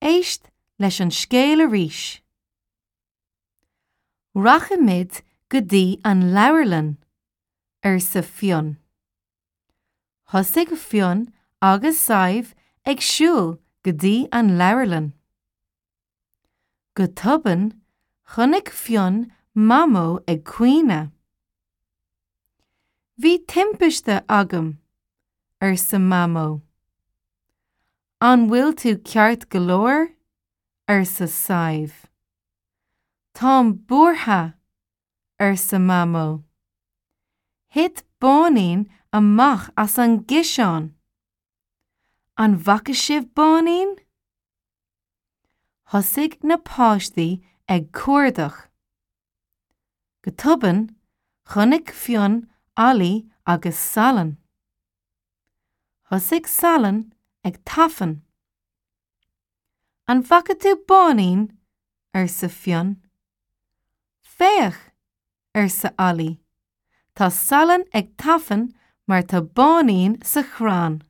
Éist leis an scéal arís. Rachaimid go dtí an leabharlann, arsa Fionn. Thosaigh Fionn agus Sadhbh ag siúl go dtí an leabharlann. Go tobann, chonaic Fionn Mamó ag caoineadh. Bhí timpiste agam, arsa Mamó. An bhfuil tú ceart go leor? arsa Sadhbh. Táim buartha, arsa Mamó. Thit Báinín amach as an gciseán. An bhfaca sibh Báinín? Thosaigh na páistí ag cuardach. Go tobann, chonaic Fionn Ollie agus Salann. Thosaigh Salann ag tafann. An bhfaca tú Báinín? arsa Fionn. Féach! arsa Ollie. Tá Salann ag tafann mar tá Báinín sa chrann.